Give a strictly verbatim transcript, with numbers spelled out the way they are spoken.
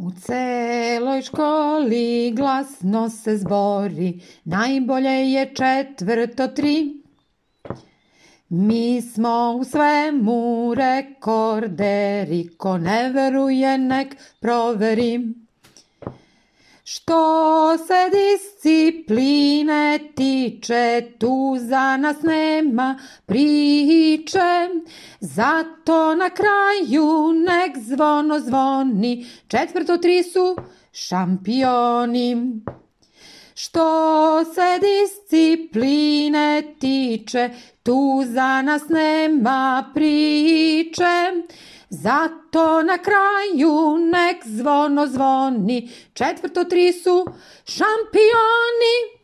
U celoj školi glasno se zbori, najbolje je četvrto tri. Mi smo u svemu rekorderi, ko ne veruje nek proveri. Što se discipline tiče, tu za nas nema priče, zato na kraju nek zvono zvoni, četvrto tri su šampioni. Što se discipline tiče, tu za nas nema priče, zato na kraju nek zvono zvoni, četvrto tri su šampioni.